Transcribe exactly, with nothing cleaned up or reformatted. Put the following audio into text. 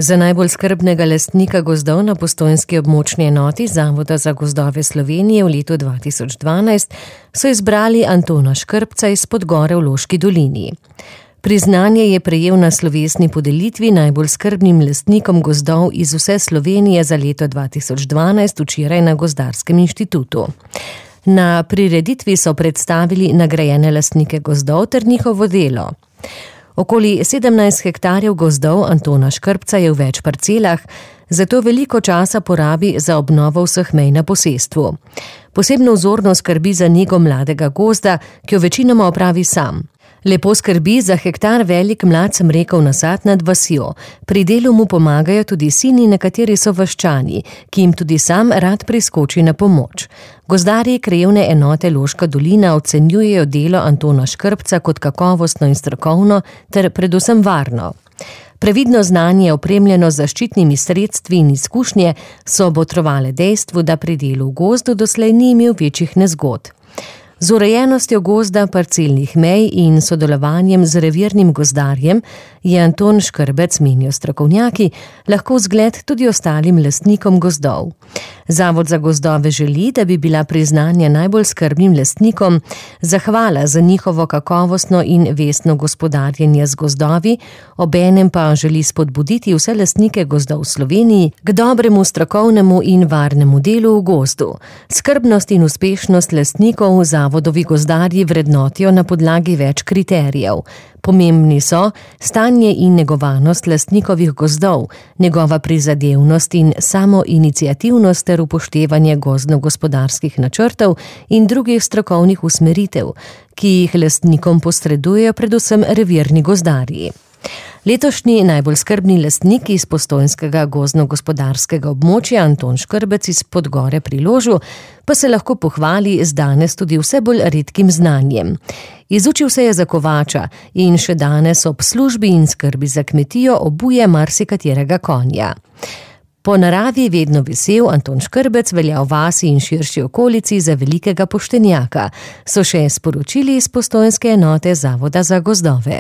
Za najbolj skrbnega lastnika gozdov na postojnski območni enoti Zavoda za gozdove Slovenije v letu dva tisoč dvanajst so izbrali Antona Škrpca iz Podgore v Loški dolini. Priznanje je prejel na slovesni podelitvi najbolj skrbnim lastnikom gozdov iz vse Slovenije za leto dva tisoč dvanajst včeraj na Gozdarskem inštitutu. Na prireditvi so predstavili nagrajene lastnike gozdov ter njihovo delo. Okoli sedemnajst hektarjev gozdov Antona Škrpca je v več parcelah, zato veliko časa porabi za obnovo vseh mej na posestvu. Posebno vzorno skrbi za nego mladega gozda, ki jo večinoma opravi sam. Lepo skrbi za hektar velik mlad smrekov nasad nad vasjo. Pri delu mu pomagajo tudi sini, nekateri so vaščani, ki jim tudi sam rad priskoči na pomoč. Gozdarji krajevne enote Loška dolina ocenjujejo delo Antona Škrpca kot kakovostno in strokovno ter predvsem varno. Previdno znanje, opremljeno z zaščitnimi sredstvi in izkušnje, so botrovale dejstvu, da pri delu v gozdu doslej ni imel večjih nezgod. Z urejenostjo gozda, parcelnih mej in sodelovanjem z revirnim gozdarjem je Anton Škrbec, menijo strokovnjaki, lahko zgled tudi ostalim lastnikom gozdov. Zavod za gozdove želi, da bi bila priznanja najbolj skrbnim lastnikom zahvala za njihovo kakovostno in vestno gospodarjenje z gozdovi, obenem pa želi spodbuditi vse lastnike gozdov v Sloveniji k dobremu, strokovnemu in varnemu delu v gozdu. Skrbnost in uspešnost lastnikov zavodovi gozdarji vrednotijo na podlagi več kriterijev. Pomembni so stanje in negovanost lastnikovih gozdov, njegova prizadevnost in samoiniciativnost ter upoštevanje gozdno-gospodarskih načrtov in drugih strokovnih usmeritev, ki jih lastnikom posredujejo predvsem revirni gozdarji. Letošnji najbolj skrbni lastnik iz postojnskega gozdno-gospodarskega območja Anton Škrbec iz Podgore pri Ložu pa se lahko pohvali z danes tudi vse bolj redkim znanjem. Izučil se je za kovača in še danes ob službi in skrbi za kmetijo obuje marsikaterega konja. Po naravi vedno vesel, Anton Škrbec velja v vasi in širši okolici za velikega poštenjaka, so še sporočili iz postojnske enote Zavoda za gozdove.